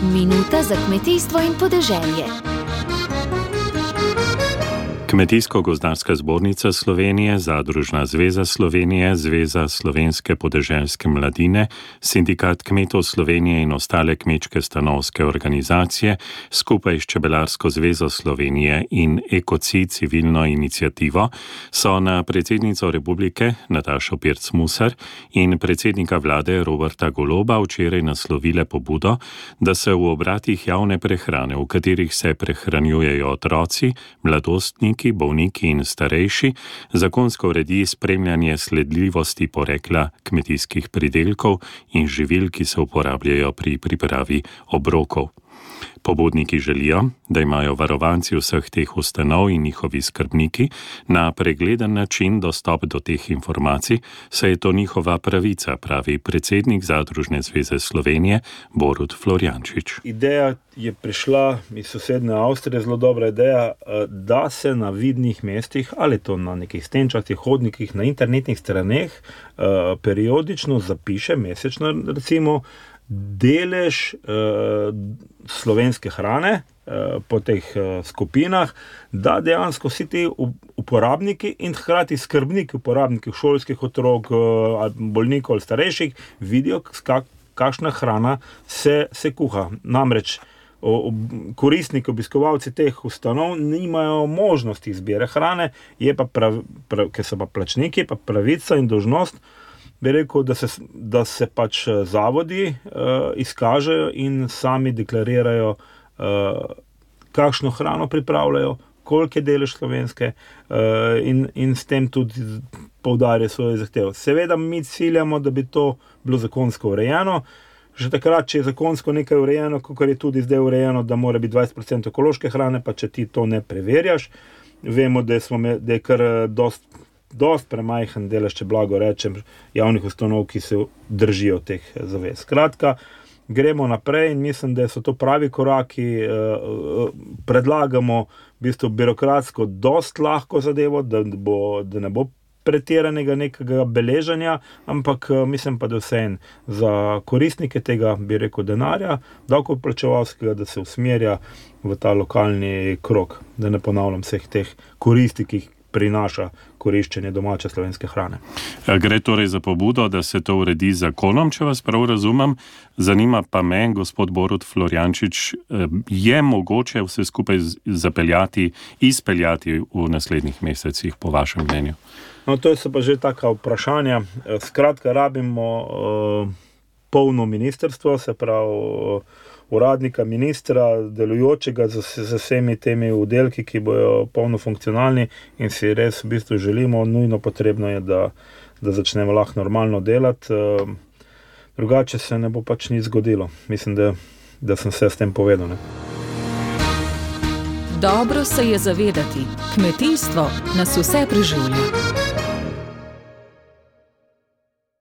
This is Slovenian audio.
Minuta za kmetijstvo in podeželje. Kmetijsko-gozdarska zbornica Slovenije, Zadružna zveza Slovenije, Zveza slovenske podeželske mladine, Sindikat kmetov Slovenije in ostale kmečke stanovske organizacije skupaj s Čebelarsko zvezo Slovenije in Ekocid civilno iniciativo so na predsednico republike Natašo Pirc Musar in predsednika vlade Roberta Goloba včeraj naslovile pobudo, da se v obratih javne prehrane, v katerih se prehranjujejo otroci, mladostniki, bolniki in starejši, zakonsko uredi spremljanje sledljivosti porekla kmetijskih pridelkov in živil, ki se uporabljajo pri pripravi obrokov. Pobudniki želijo, da imajo varovanci vseh teh ustanov in njihovi skrbniki na pregleden način dostop do teh informacij, saj je to njihova pravica, pravi predsednik Zadružne zveze Slovenije Borut Florjančič. Ideja je prišla iz sosednje Avstrije, zelo dobra ideja, da se na vidnih mestih, ali to na nekih stenčastih hodnikih, na internetnih straneh, periodično zapiše, mesečno recimo, delež slovenske hrane po teh skupinah, da dejansko vsi ti uporabniki in hkrati skrbniki uporabnikov, šolskih otrok, bolnikov ali starejših, vidijo, kakšna hrana se kuha. Namreč koristniki, obiskovalci teh ustanov nimajo možnosti izbire hrane, je pa ker so pa plačniki, pa pravica in dolžnost, bi rekel, da se pač zavodi izkažejo in sami deklarirajo, kakšno hrano pripravljajo, koliko je delež slovenske in s tem tudi poudarjajo svoje zahteve. Seveda mi ciljamo, da bi to bilo zakonsko urejeno. Že takrat, če je zakonsko nekaj urejeno, kakor je tudi zdaj urejeno, da mora biti 20% ekološke hrane, pa če ti to ne preverjaš, vemo, da je kar dost premajhen delež, če blago rečem, javnih ustanov, ki se držijo teh zavez. Skratka, gremo naprej in mislim, da so to pravi koraki. Predlagamo v bistvu birokratsko dost lahko zadevo, da ne bo pretiranega nekega beleženja, ampak mislim pa, da vseeno za koristnike tega, bi rekel, denarja, davkoplačevalskega, da se usmerja v ta lokalni krog, da ne ponavljam vseh teh koristi, ki jih prinaša koriščenje domače slovenske hrane. Gre torej za pobudo, da se to uredi z zakonom, če vas prav razumem. Zanima pa me, gospod Borut Florjančič, je mogoče vse skupaj izpeljati v naslednjih mesecih, po vašem mnenju? No, to so pa že taka vprašanja. Skratka, rabimo polno ministrstvo, se pravi uradnika, ministra, delujočega z vsemi temi oddelki, ki bojo polno funkcionalni in si res v bistvu želimo, nujno potrebno je, da začnemo lahko normalno delati. Drugače se ne bo pač nič zgodilo. Mislim, da sem vse s tem povedal. Ne? Dobro se je zavedati, kmetijstvo nas vse preživlja.